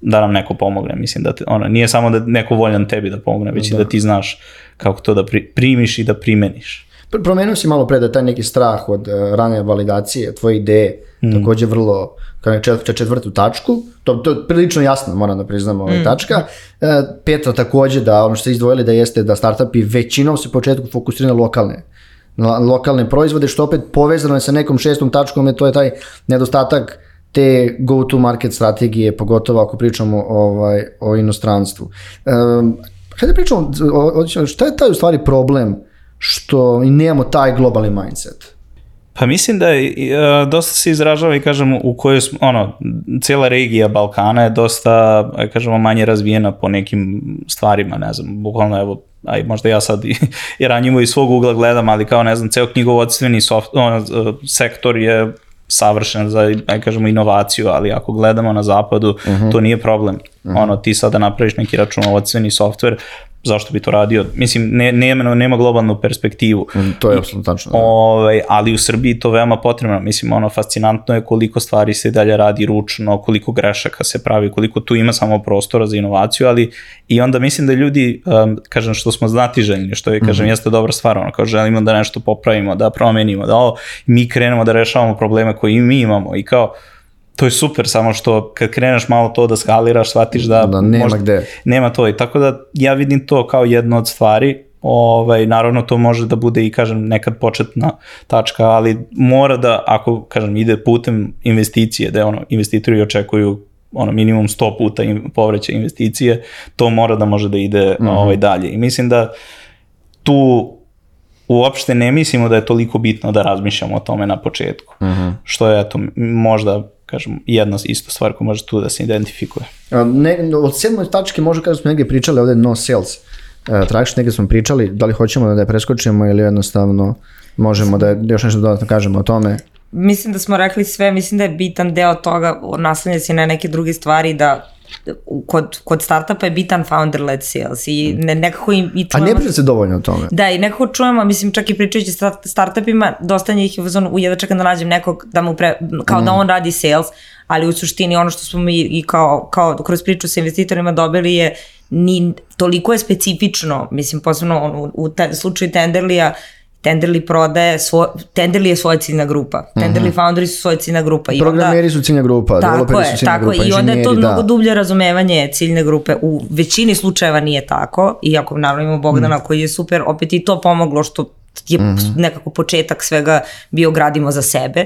da nam neko pomogne. Mislim da nije samo da neko voljan tebi da pomogne, već i da ti znaš kako to da primiš i da primeniš. Promenuo si malo pre da taj neki strah od rane validacije, tvoje ideje, takođe vrlo, kao četvrtu tačku, to je prilično jasno, moram da priznam tačka. Petra takođe da ono što ste izdvojili da jeste da startupi većinom se u početku fokusiraju na lokalne proizvode, što opet povezano je sa nekom 6. tačkom, to je taj nedostatak te go-to-market strategije, pogotovo ako pričamo o inostranstvu. Hajde pričamo, šta je taj u stvari problem što i nemamo taj globalni mindset? Pa mislim da dosta se izražava i kažem u kojoj cijela regija Balkana je dosta, kažemo, manje razvijena po nekim stvarima, ne znam, bukvalno evo, možda ja sad i ranjivo iz svog ugla gledam, ali kao ne znam, ceo knjigovodstveni sektor je savršen za, kažemo, inovaciju, ali ako gledamo na zapadu, to nije problem. Ti sada napraviš neki računovodstveni softver, zašto bi to radio? Mislim, nema globalnu perspektivu. To je apsolutno tačno. Ali u Srbiji to veoma potrebno. Mislim, fascinantno je koliko stvari se dalje radi ručno, koliko grešaka se pravi, koliko tu ima samo prostora za inovaciju, ali i onda mislim da ljudi, kažem, što smo znatiželjni, što je, kažem, jeste dobra stvar, kao želimo da nešto popravimo, da promenimo, da mi krenemo da rešavamo probleme koje i mi imamo i kao, to je super, samo što kad kreneš malo to da skaliraš, shvatiš da nema gde. Nema to, i tako da ja vidim to kao jednu od stvari. Naravno to može da bude i, kažem, nekad početna tačka, ali mora da, ako, kažem, ide putem investicije, da investitori očekuju minimum 100 puta povraćaj investicije, to mora da može da ide dalje. I mislim da tu uopšte ne mislimo da je toliko bitno da razmišljamo o tome na početku. Što je, eto, možda, kažem, jedna isto stvar koja može tu da se identifikuje. Od 7. tačke možda kada smo negdje pričali ovdje no sales, tragično negdje smo pričali, da li hoćemo da je preskočimo ili jednostavno možemo da još nešto dodatno kažemo o tome? Mislim da smo rekli sve, mislim da je bitan deo toga, naslanja se na neke druge stvari, da kod startupa je bitan founder-led sales i nekako i čujemo... A ne priča se dovoljno o tome. Da, i nekako čujemo, mislim, čak i pričajući startupima, dosta njih je u jedva čekam da nađem nekog da mu kao da on radi sales, ali u suštini ono što smo mi i kao kroz priču sa investitorima dobili je toliko je specifično, mislim, posebno u slučaju Tenderlija, Tenderly prodaje, Tenderly je svoja ciljna grupa. Tenderly founderi su svoja ciljna grupa. Programeri su ciljna grupa, developeri su ciljna grupa, inženjeri, i onda je to mnogo dublje razumevanje ciljne grupe. U većini slučajeva nije tako, iako naravno imamo Bogdana koji je super, opet i to pomoglo što je nekako početak svega bio gradimo za sebe.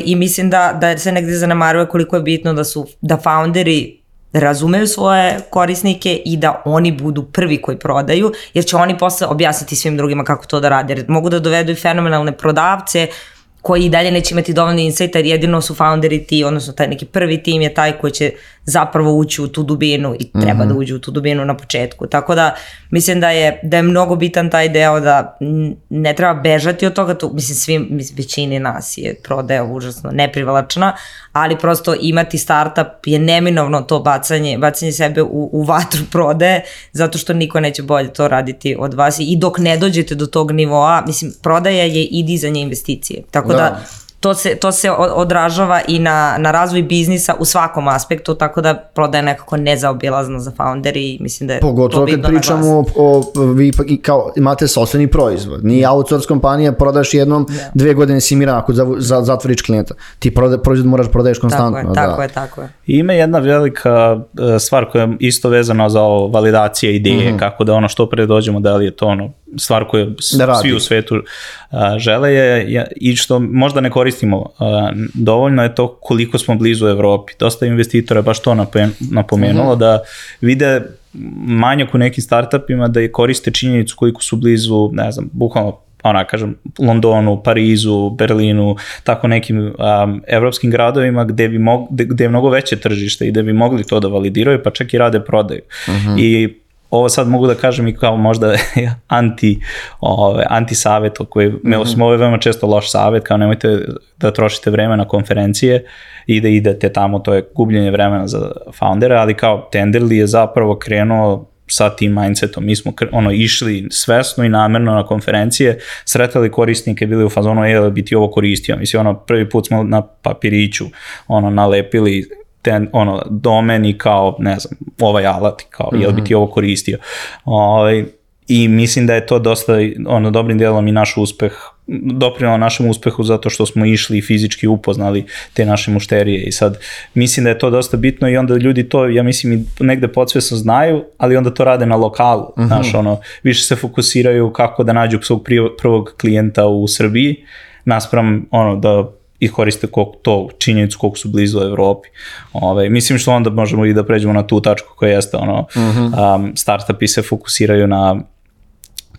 I mislim da se negdje zanemaruje koliko je bitno da founderi razumeju svoje korisnike i da oni budu prvi koji prodaju, jer će oni posle objasniti svim drugima kako to da rade. Jer mogu da dovedu i fenomenalne prodavce koji i dalje neće imati dovoljno insighta, jer jedino su founderi ti, odnosno taj neki prvi tim je taj koji će zapravo ući u tu dubinu i treba da uđe u tu dubinu na početku. Tako da mislim da je mnogo bitan taj deo da ne treba bežati od toga, mislim većini nas je prodaja užasno neprivlačna, ali prosto imati startup je neminovno to bacanje sebe u vatru prodaje, zato što niko neće bolje to raditi od vas i dok ne dođete do tog nivoa, mislim, prodaja je i dizanje investicije. Tako da to se odražava i na razvoj biznisa u svakom aspektu, tako da prodaja nekako nezaobilazna za founderi i mislim da je pogotovo kad pričamo vi kao imate sopstveni proizvod, nije outsource kompanija, prodaš jednom, 2 godine si miran ako zatvoriš klijenta, ti proizvod moraš prodaješ konstantno. Tako je. Ima jedna velika stvar koja je isto vezana za validacije ideje, kako da što pre dođemo, da li je to stvar koju svi u svetu žele je, i što možda ne koristimo dovoljno, je to koliko smo blizu Evropi. Dosta investitora baš to napomenulo, da vide manjak u nekim startupima, da je koriste činjenicu koliko su blizu, ne znam, bukvalno kažem, Londonu, Parizu, Berlinu, tako nekim evropskim gradovima gde je mnogo veće tržište i gde bi mogli to da validiraju, pa čak i rade prodaju. I ovo sad mogu da kažem i kao možda anti-savet, ovo je veoma često loš savet, kao nemojte da trošite vreme na konferencije i da idete tamo, to je gubljenje vremena za foundere, ali kao Tenderly je zapravo krenuo sa tim mindsetom. Mi smo išli svesno i namerno na konferencije, sretali korisnike, bili u fazonu, bi ti ovo koristio. Mislim, prvi put smo na papiriću nalepili domen i kao, ne znam, ovaj alat, kao, jel bi ti ovo koristio. I mislim da je to dosta, dobrim dijelom i naš uspeh, doprinalo našem uspehu zato što smo išli i fizički upoznali te naše mušterije i sad mislim da je to dosta bitno i onda ljudi to, ja mislim, i negde podsvesno znaju, ali onda to rade na lokalu, znaš, više se fokusiraju kako da nađu svog prvog klijenta u Srbiji, naspram da ih koriste to činjenicu koliko su blizu Evropi. Mislim što onda možemo i da pređemo na tu tačku koja jeste startupi se fokusiraju na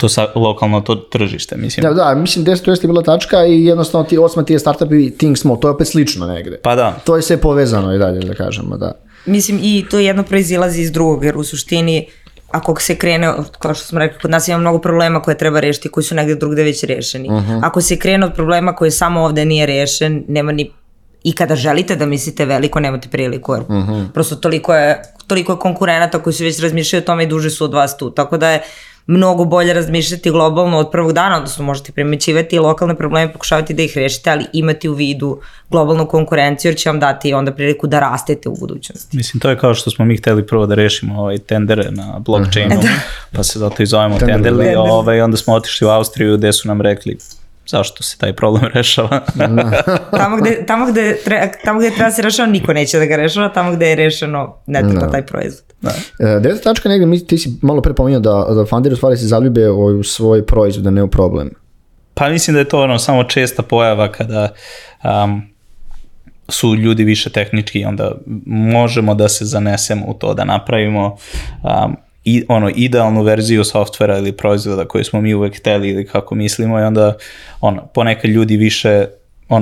to lokalno to tržište, mislim. Da, mislim 10 je bila tačka i jednostavno ti 8 je startup i think small, to je opet slično negde. Pa da. To je sve povezano i dalje, da kažemo, da. Mislim, i to jedno proizilazi iz drugog, jer u suštini, ako se krene, kao što smo rekli, kod nas ima mnogo problema koje treba rešiti, koji su negde drugde već rešeni. Ako se krene od problema koji samo ovde nije rešen, nema ni, i kada želite da mislite veliko, nemate priliku, jer prosto toliko je konkurenata koji su već razmišljali o tome i duže su od vas tu, tako da je mnogo bolje razmišljati globalno od prvog dana, odnosno možete primećivati lokalne probleme, pokušavati da ih rešite, ali imati u vidu globalnu konkurenciju, jer će vam dati onda priliku da rastete u budućnosti. Mislim, to je kao što smo mi hteli prvo da rešimo tendere na blockchainu, pa se zato i zovemo tenderli, onda smo otišli u Austriju gde su nam rekli zašto se taj problem rešava. Tamo gde treba se rešava, niko neće da ga rešava, tamo gde je rešeno, ne treba taj proizvod. Deveta tačka negdje, ti si malo pre pominjao da founderi u stvari se zaljube u svoj proizvod, a ne u problem. Pa mislim da je to samo česta pojava kada su ljudi više tehnički i onda možemo da se zanesemo u to da napravimo idealnu verziju softvera ili proizvoda koji smo mi uvek hteli ili kako mislimo i onda ponekad ljudi više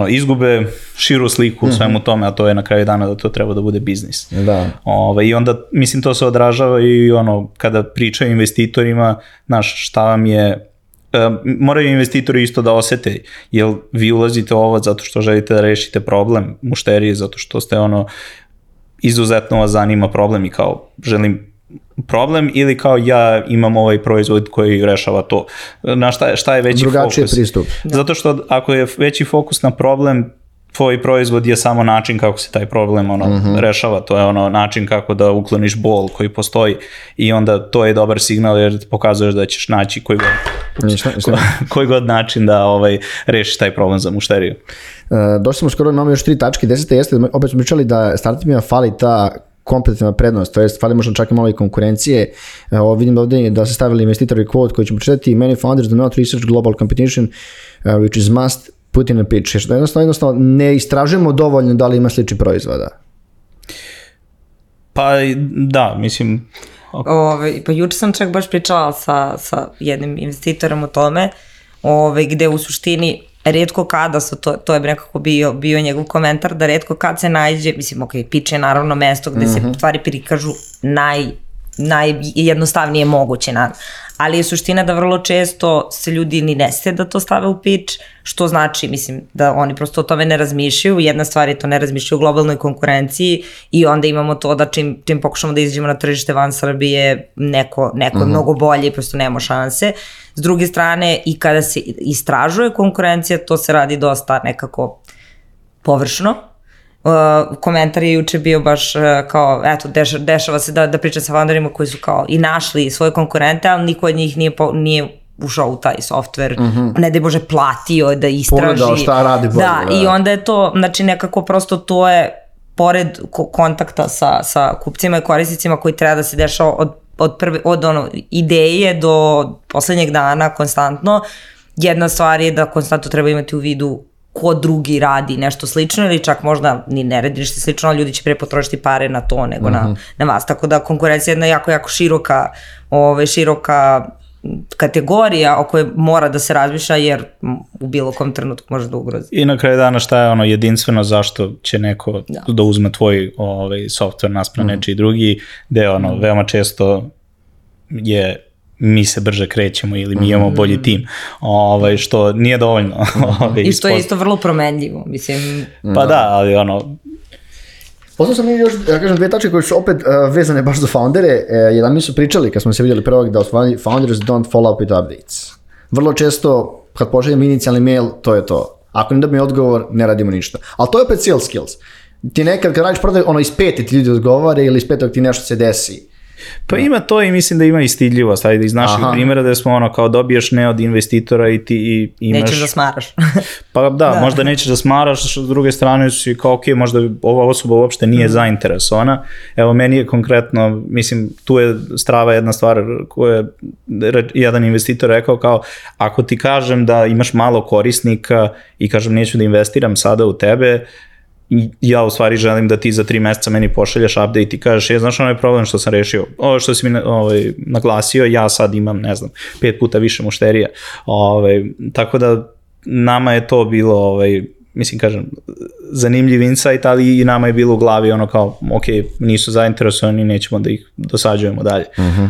izgube širu sliku u svemu tome, a to je na kraju dana da to treba da bude biznis. Da. I onda, mislim, to se odražava i kada pričaju investitorima, šta vam je, moraju investitori isto da osete, jer vi ulazite u ovo zato što želite da rešite problem mušterije, zato što ste izuzetno vas zanima problem i kao želim problem ili kao ja imam ovaj proizvod koji rešava to. Šta je veći drugačiji fokus? Pristup. Zato što ako je veći fokus na problem, tvoj proizvod je samo način kako se taj problem rešava, to je način kako da ukloniš bol koji postoji i onda to je dobar signal jer pokazuješ da ćeš naći koji god način da rešiš taj problem za mušteriju. Došli smo skoro, imamo još 3 tačke, 10. jeste, opet smo pričali da startupima fali ta kompetitivna prednost, to jest fali možda čak i malo i konkurencije. Vidim ovdje da se stavili investitori quote koji ćemo čitati: many founders do not research global competition which is must put in a pitch. Jednostavno ne istražujemo dovoljno da li ima slični proizvoda. Pa da, mislim... Pa juče sam čak baš pričala sa jednim investitorom o tome, gde u suštini retko kada su, to je nekako bio njegov komentar, da retko kad se nađe, mislim, pitch je naravno mesto gde se stvari prikažu najjednostavnije moguće, ali je suština da vrlo često se ljudi ni ne sete da to stave u pitch, što znači, mislim, da oni prosto o tome ne razmišljaju. Jedna stvar je to ne razmišljaju u globalnoj konkurenciji i onda imamo to da čim pokušamo da izađemo na tržište van Srbije, neko je mnogo bolje i prosto nema šanse. S druge strane, i kada se istražuje konkurencija, to se radi dosta nekako površno. Komentar je juče bio baš kao, eto, dešava se da pričam sa founderima koji su kao i našli svoje konkurente, ali niko od njih nije ušao u taj softver, ne da je može platio da istraži. Pogledao šta radi bolje. Da, i onda je to, znači nekako prosto to je, pored kontakta sa kupcima i korisnicima koji treba da se dešava od ideje do poslednjeg dana konstantno, jedna stvar je da konstantno treba imati u vidu ko drugi radi nešto slično ili čak možda ni ne radi nešto slično, ali ljudi će pre potrošiti pare na to nego na vas. Tako da konkurencija je jedna jako, jako široka kategorija o kojoj mora da se razmišlja jer u bilo kom trenutku može da ugrozi. I na kraju dana šta je jedinstveno zašto će neko da uzme tvoj software naspram nečiji drugi, gde veoma često je mi se brže krećemo ili mi imamo bolji tim, što nije dovoljno. I što je isto vrlo promenljivo, mislim. Pa da, ali Poslao sam još, ja kažem, 2 tačke koje su opet vezane baš za foundere. Jedan mi su pričali kad smo se vidjeli prvog da founders don't follow up with updates. Vrlo često kad pošaljem inicijalni mail, to je to. Ako ne dobijemo odgovor, ne radimo ništa. Ali to je opet sales skills. Ti nekad kad radiš prodaj, iz 5 ti ljudi odgovore ili iz 5 ti nešto se desi. Pa ima to i mislim da ima i stidljivost, ajde iz naših primjera da smo kao dobiješ ne od investitora i ti imaš... Nećeš da smaraš. Pa da, možda nećeš da smaraš, s druge strane si kao možda ova osoba uopšte nije zainteresovana. Evo meni je konkretno, mislim tu je strava jedna stvar koju je jedan investitor rekao kao ako ti kažem da imaš malo korisnika i kažem neću da investiram sada u tebe, ja u stvari želim da ti za 3 meseca meni pošalješ update i kažeš, znaš onaj problem što sam rešio, ovo što si mi naglasio, ja sad imam, ne znam, 5 puta više mušterija. Tako da nama je to bilo, mislim, kažem, zanimljiv insight, ali i nama je bilo u glavi ono kao, ok, nisu zainteresovani, nećemo da ih dosađujemo dalje.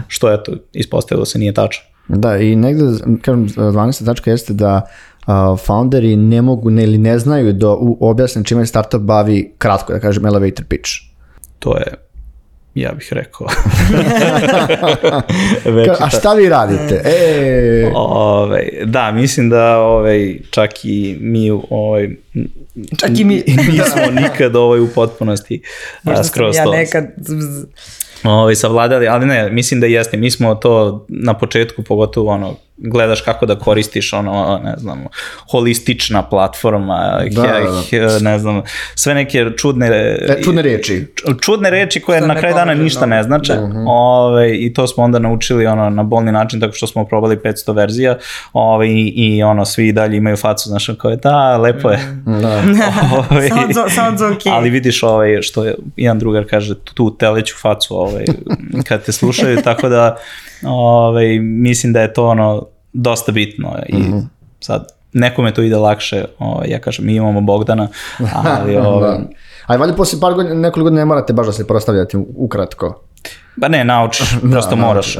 Što je to, ispostavilo se, nije tačno. Da, i negde, kažem, 12. tačka jeste da founderi ne mogu ili ne znaju da objasne čime startup bavi kratko, da kažem, elevator pitch. To je, ja bih rekao. A šta vi radite? Da, mislim da čak i mi nismo nikad u potpunosti skroz to. Ja nekad savladali, ali ne, mislim da jeste, mi smo to na početku, pogotovo gledaš kako da koristiš ne znam, holistična platforma, ne znam, sve neke čudne reči koje na kraju dana ništa ne znače, i to smo onda naučili na bolni način, tako što smo probali 500 verzija i svi dalje imaju facu, znaš, kao je, da, lepo je. Sounds okay. Ali vidiš što jedan drugar kaže, tu teleću facu kad te slušaju, tako da mislim da je to dosta bitno i sad nekome to ide lakše, ja kažem, mi imamo Bogdana, ali ali valjda posle par godina, nekoliko godina ne morate baš da se prostavljati ukratko. Ba ne, naučiš, prosto moraš,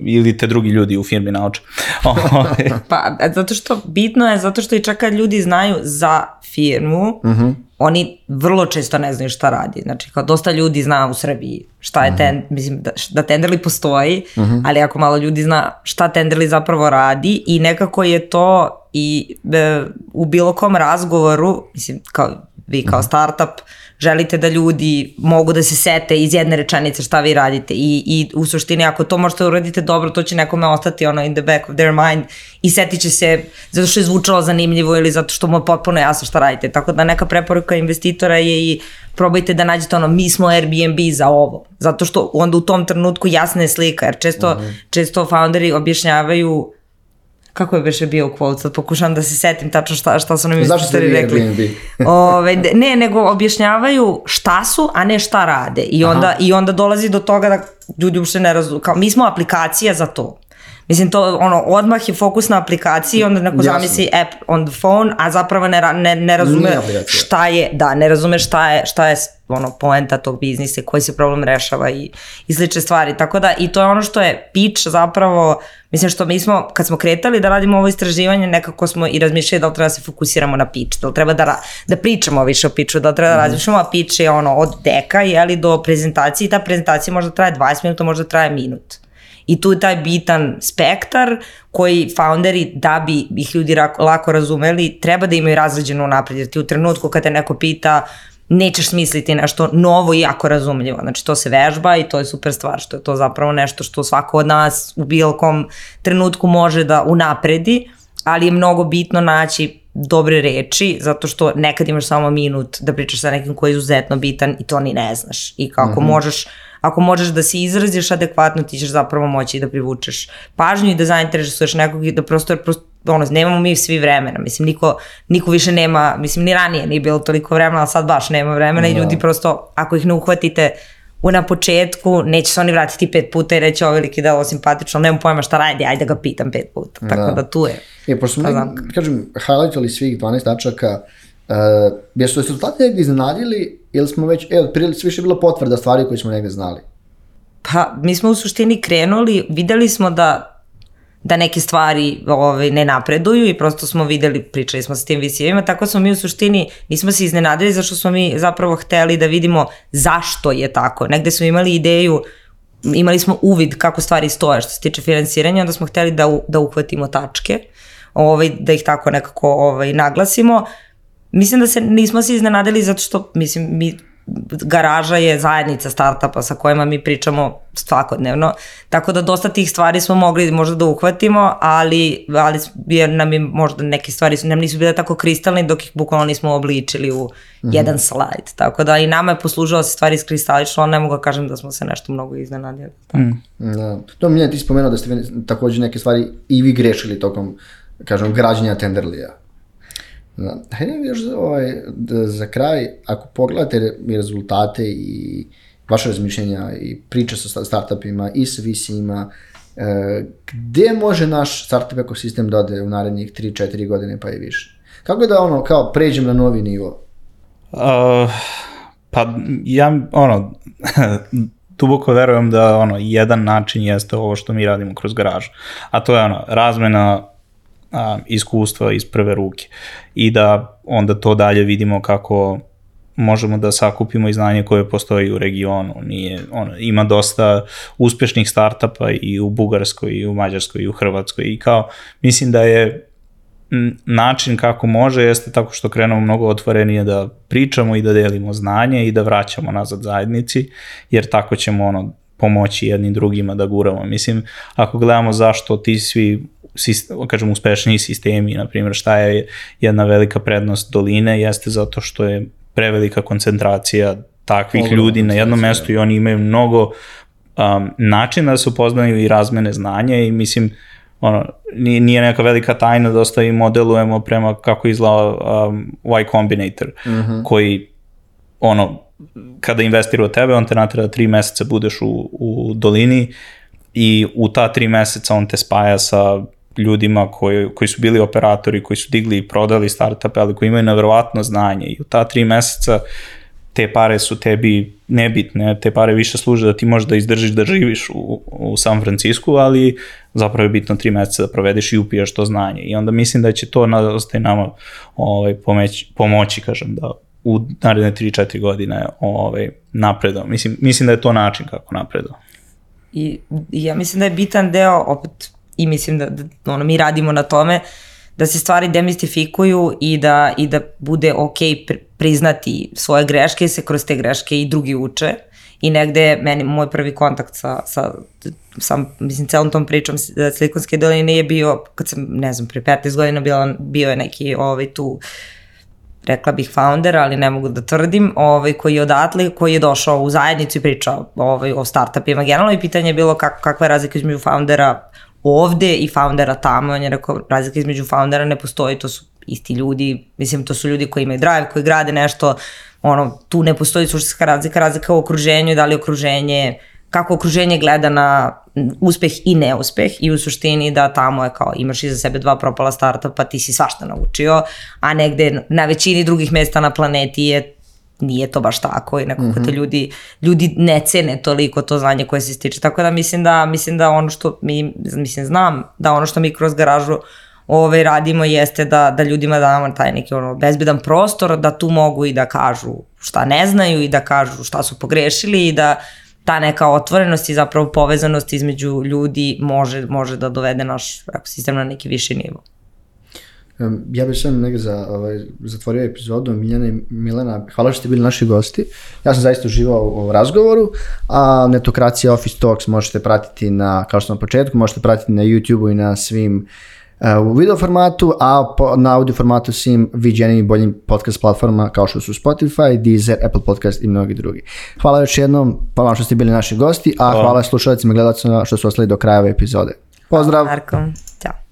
ili te drugi ljudi u firmi nauče. Pa, zato što bitno je, zato što i čak kad ljudi znaju za firmu, oni vrlo često ne znaju šta radi. Znači, kao dosta ljudi zna u Srbiji šta je mislim da Tenderly postoji, ali ako malo ljudi zna šta Tenderly zapravo radi i nekako je to i u bilo kom razgovoru, mislim, vi kao startup, želite da ljudi mogu da se sete iz jedne rečenice šta vi radite i u suštini ako to možete uradite dobro, to će nekome ostati in the back of their mind i setit će se zato što je zvučalo zanimljivo ili zato što mu je potpuno jasno šta radite. Tako da neka preporuka investitora je i probajte da nađete mi smo Airbnb za ovo. Zato što onda u tom trenutku jasna je slika, jer često founderi objašnjavaju kako je više bio quote, sad pokušam da se setim tačno šta su nam investitori rekli. Ne, nego objašnjavaju šta su, a ne šta rade. I onda dolazi do toga da ljudi uopšte ne razumiju. Mi smo aplikacija za to. Mislim, to odmah je fokus na aplikaciji, onda neko zamisli app on the phone, a zapravo ne razume šta je, ne razume šta je poenta tog biznisa, koji se problem rešava i slične stvari. Tako da, i to je ono što je pitch zapravo, mislim što mi smo, kad smo kretali da radimo ovo istraživanje, nekako smo i razmišljali da li treba da se fokusiramo na pitch, da li treba da pričamo više o pitchu, da li treba da razmišljamo, a pitch je od deka, do prezentacije i ta prezentacija možda traje 20 minuta, možda traje minut. I tu je taj bitan spektar koji founderi, da bi ih ljudi lako razumeli, treba da imaju razređeno napred. Jer ti u trenutku kad te neko pita, nećeš smisliti nešto novo i jako razumljivo. Znači to se vežba i to je super stvar, što je to zapravo nešto što svako od nas u bilo kom trenutku može da unapredi, ali je mnogo bitno naći dobre reči, zato što nekad imaš samo minut da pričaš sa nekim koji je izuzetno bitan i to ni ne znaš. I kako ako možeš da se izraziš adekvatno, ti ćeš zapravo moći da privučeš pažnju i da zainteresuješ nekog i da prosto, nemamo mi svi vremena, mislim, niko više nema, mislim, ni ranije nije bilo toliko vremena, ali sad baš nema vremena i ljudi prosto, ako ih ne uhvatite na početku, neće se oni vratiti 5 puta i reći ovo veliki delo simpatično, nemam pojma šta radi, ajde ga pitam 5 puta, tako da tu je. Pošto smo, kažem, highlightali svih 12 tačaka, jesu rezultati negdje iznenadili ili smo već, više bilo potvrda stvari koje smo negdje znali? Pa, mi smo u suštini krenuli, videli smo da neke stvari ne napreduju i prosto smo videli, pričali smo sa tim VC-evima, tako smo mi u suštini, nismo se iznenadili zašto smo mi zapravo hteli da vidimo zašto je tako. Negde smo imali ideju, imali smo uvid kako stvari stoje što se tiče finansiranja, onda smo hteli da uhvatimo tačke, da ih tako nekako naglasimo. Mislim da nismo se iznenadili zato što, mislim, Garaža je zajednica startupa sa kojima mi pričamo svakodnevno, tako da dosta tih stvari smo mogli možda da uhvatimo, ali nam je možda neke stvari nam nisu bile tako kristalne dok ih bukvalno nismo obličili u jedan slajd, tako da i nama je poslužilo se stvari iskristalično, ali ne mogu da kažem da smo se nešto mnogo iznenadili. To Miljan, ti spomenuo da ste također neke stvari i vi grešili tokom, kažem, građenja Tenderlya. Hajde još za kraj, ako pogledate i rezultate i vaše razmišljenja i priče sa startupima i sa VC-ima, gde može naš startup ekosistem da ode u narednih 3-4 godine pa i više? Kako da kao pređem na novi nivo? Pa ja duboko verujem da jedan način jeste ovo što mi radimo kroz garažu, a to je razmena iskustva iz prve ruke i da onda to dalje vidimo kako možemo da sakupimo i znanje koje postoji u regionu. Ima dosta uspešnih startupa i u Bugarskoj, i u Mađarskoj, i u Hrvatskoj i mislim da je način kako može jeste tako što krenemo mnogo otvorenije da pričamo i da delimo znanje i da vraćamo nazad zajednici, jer tako ćemo pomoći jednim drugima da guramo. Mislim, ako gledamo zašto ti svi uspešniji sistemi, na primjer šta je jedna velika prednost doline, jeste zato što je prevelika koncentracija takvih ljudi na jednom mestu i oni imaju mnogo načina da se upoznaju i razmene znanja i mislim, nije neka velika tajna da ostavimo, delujemo prema kako izgleda Y Combinator, koji kada investira u tebe, on te natera 3 meseca budeš u dolini i u ta 3 meseca on te spaja sa ljudima koji su bili operatori, koji su digli i prodali startupe, ali koji imaju neverovatno znanje i u ta 3 meseca te pare su tebi nebitne, te pare više služe da ti možeš da izdržiš da živiš u San Francisku, ali zapravo je bitno 3 meseca da provedeš i upiješ to znanje i onda mislim da će to nama pomoći, kažem, da u naredne 3-4 godine napredao. Mislim da je to način kako napredao. I ja mislim da je bitan deo opet i mislim da mi radimo na tome da se stvari demistifikuju i da bude ok priznati svoje greške i se kroz te greške i drugi uče i negde moj prvi kontakt sa mislim celom tom pričom Silikonske doline je bio kad sam pre 15 godina bio je neki tu rekla bih founder, ali ne mogu da tvrdim, koji je odatle, koji je došao u zajednicu i pričao o startupima generalno i pitanje je bilo kakva je razlika između foundera ovde i foundera tamo. On je rekao, razlika između foundera ne postoji, to su isti ljudi, mislim to su ljudi koji imaju drive, koji grade nešto, tu ne postoji suštinska razlika u okruženju, da li okruženje, kako okruženje gleda na uspeh i neuspeh i u suštini da tamo je kao imaš iza sebe 2 propala startupa, ti si svašta naučio, a negde na većini drugih mesta na planeti nije to baš tako i nekako te ljudi ne cene toliko to znanje koje se stiče, tako da mislim da ono što znam da ono što mi kroz garažu radimo jeste da ljudima damo taj neki bezbedan prostor da tu mogu i da kažu šta ne znaju i da kažu šta su pogrešili i da ta neka otvorenost i zapravo povezanost između ljudi može da dovede naš ekosistem na neki viši nivo. Ja bih sam negdje zatvorio epizodu. Miljana i Milena, hvala što ste bili naši gosti. Ja sam zaista uživao u razgovoru, a Netokracija Office Talks možete pratiti kao što na početku, možete pratiti na YouTube-u i na svim u video formatu, a na audio formatu svim viđenim i boljim podcast platformama kao što su Spotify, Deezer, Apple Podcast i mnogi drugi. Hvala još jednom, hvala što ste bili naši gosti, a hvala slušalicima i gledalcima što su ostali do kraja ove epizode. Pozdrav! Marko, ćao!